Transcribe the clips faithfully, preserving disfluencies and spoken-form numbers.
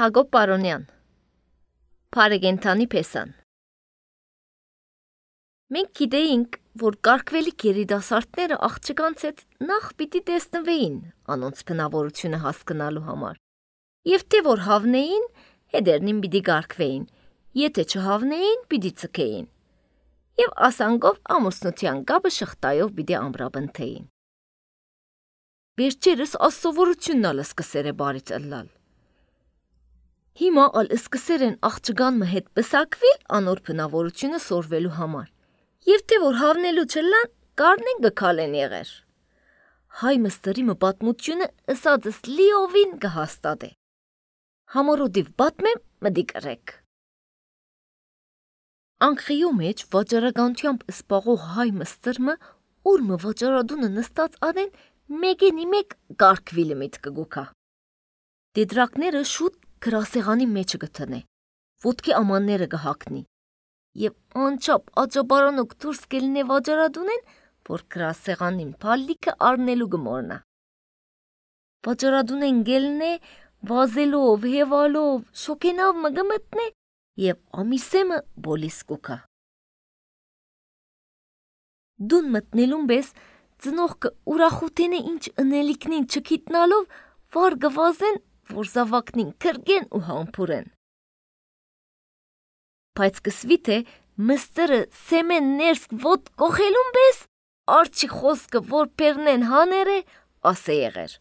Հակոբ Պարոնյան Փարեգենթանի փեսան Մենք գիտեինք, որ կարգվելիք երիտասարդները աղջկանց հետ նախ պիտի տեսնվեին անոնց բնավորությունը հասկանալու համար, և թե որ հավնեին, հետերնին պիտի կարգվեին, եթե չհավնեին, պիտի ծքեին, և ասանգով ամուսնության կապը շղթայով պիտի ամրապնդեին։ Վերջերս ասովորությունն ալ սկսեր է բարից ըլլալ։ Հիմա ալ սկսեր են աղջկան մը հետ պսակվիլ անոր բնավորությունը սորվելու համար, և թե որ հավնելու չլան, կարնեն գքալեն եղեր։ Հայ մստերի մը պատմությունը ըսածս լիովին կհաստատ է։ Համորոդիվ պատմեմ մդի կրեք։ Անկղիո մեջ վաճարականությամբ սպաղող հայ մստրմը, ուր մը վաճարադունը նստած անեն, մեկենի մեկ կարգվիլը միտ կգուքա։ Դեդրակները շուտ գրասեղանի մեջը գտնե, ոտքի ամանները կհակնի, և անչապ աճաբարանոք դուրս կելնե վաճարադունեն, որ գրասեղանին փալլիքը արնելու գմորնա։ Վաճարադունեն գելնե, վազելով, հևալով, շոքենավ մը գմտնե, և ամիսեմը բոլիս կուքա։ Դուն մտնելուն բես, ծնողքը ուրախութենե ինչ ընելիքնին չքիտնալով, վար գվազեն, որ զավակնին կրգեն ու համպուրեն։ Բայց կսվի թե մստերը սեմեն ներս ոտ կոխելուն բես, արջի խոսքը որ պերնեն հաներ է, ասե եղեր։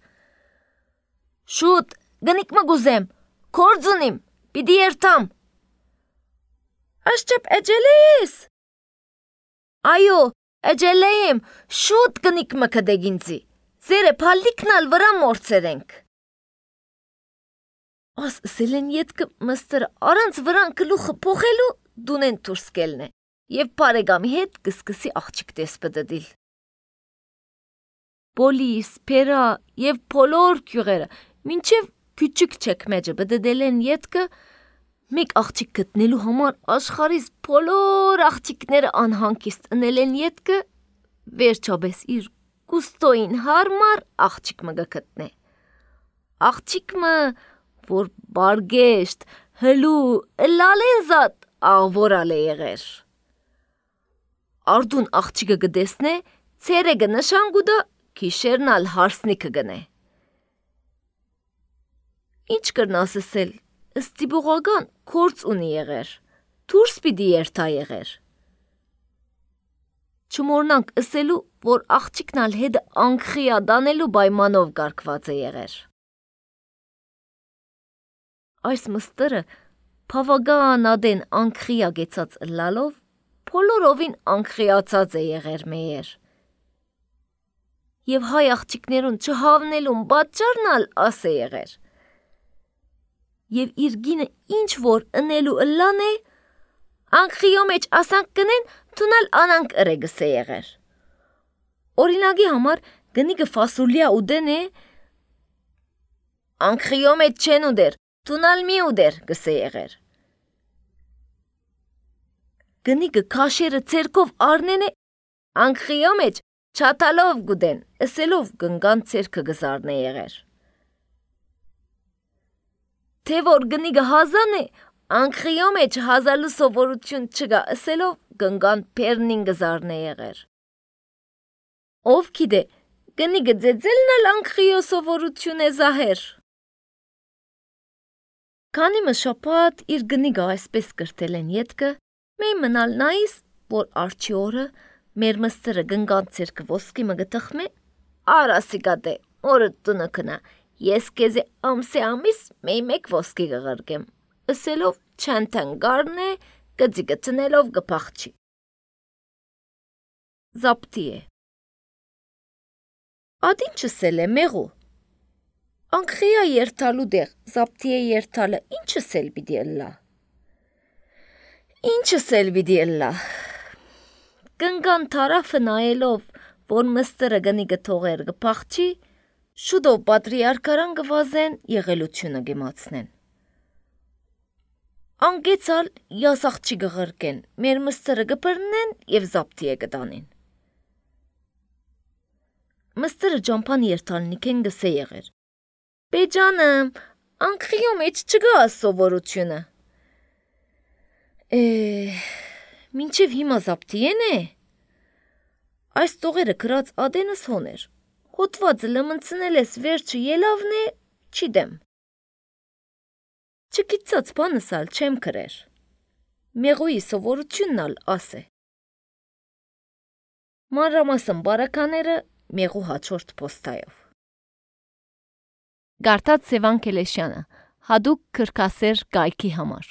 Շուտ, գնիք մը գուզեմ, կորձունիմ, պիդի երթամ։ Աշճեպ էջել ես։ Այո, էջել եմ, շուտ գնիք մը կդեգինցի, զերը պալիքնալ վրա մորցերենք։ Աս սելեն ետքը մստերը արանց վրան կլուխը պոխելու դունեն թուրս կելն է, և պարեգամի հետ կսկսի աղջիկ տեսպդդիլ։ Բոլիս, պերա և պոլոր կյուղերը, մինչև küçük չեքմեջը բդդել են ետքը, մեկ աղջիկ գտնելու համար աշխարիս պոլոր աղջիկները անհանկիստ ընել են ետքը, վերջաբես իր կուստոին հարմար աղջիկ մը գտնե։ Աղջիկ մը, որ բարգեշտ, հլու, լալենզատ, աղվորալ է եղեր։ Արդուն աղջիկը գդեսնե, ցերեգը նշան գուդա, քիշերնալ հարսնիքը գնե։ Ինչ կրնաս ասել, ստիպողական կորց ունի եղեր, դուրս պիտի երթա եղեր։ Չմորնանք ասելու, որ աղջիկնալ հետ անկխիա դանելու պայմանով կարգված է եղեր։ Այս մստերը բավական ադեն անկխիա գեցած լալով, բոլորովին անկխիացած է եղեր մեեր։ Եվ հայ աղջիկներուն չհավնելուն պատճառնալ աս է եղեր։ Եվ իր գինը ինչ որ ընելու ըլլան է, անկխիո մեջ ասանք կնեն, թունալ անանք ըրեգս է եղեր։ Օրինագի համար գնիգը ֆասուլիա ուդեն է, անկխիո մեջ չեն ուդեր, թունալ մի ուդեր գսե եղեր։ Գնիգը քաշերը ցերկով արնեն է, անկխիո մեջ չաթալով գուդեն, ասելով գնգան ցերկը գզարն է եղեր։ Թե որ գնիգը հազան է, անկխիո մեջ հազալու սովորություն չգա, ասելով գնգան պերնին գզարն է եղեր։ Ով գիտե, գնիգը ձեձելն ալ անկխիո սովորություն է զահեր։ Քանի մը շապատ իր գնիգը այսպես կրտել են ետքը, մեյ մնալ նայիս, որ արջի օրը մեր մստերը գնգան ցերկը ոսկի մը գտխմե, արասիկատե, օրը տունը կնա, ես կեզե ամսե ամիս մեյ մեկ ոսկի գղրգեմ, ասելով չանթան գարն է, գծի գտնելով գպախչի։ Զապտի է։ Ադին չսել է մեղու։ Անկխիա երթալու դեղ, զապտի է երթալը, ինչը սել բիդի ըլլա։ Ինչը սել բիդի ըլլա։ Կնգան թարաֆը նայելով, որ մստերը գնիգը թողեր գպախչի, շուտով պատրիարքարան գվազեն եղելությունը գեմացնեն։ Անգեցալ յասաղջի գղրկեն, մեր մստերը գպրնեն և զապտի է գտանին։ Մստերը ջամփան երթալնիք են գսե եղեր։ Բեջանım, Անկղիո մեջ չգա սովորությունը։ Է, մինչև հիմա զապտիեն է։ Այս տողերը գրած ադենս հոներ։ Հոտվածը լմնցնել ես վերջը ելավն է, չի դեմ։ Չգիտած բանս ալ չեմ կրեր։ Մեղուի սովորությունն ալ աս է։ Մանրամասն բարակաները մեղու հաջորդ պոստայով։ Գարտած Սևան Կելեշյանը, հադուկ քրքասեր գայքի համար։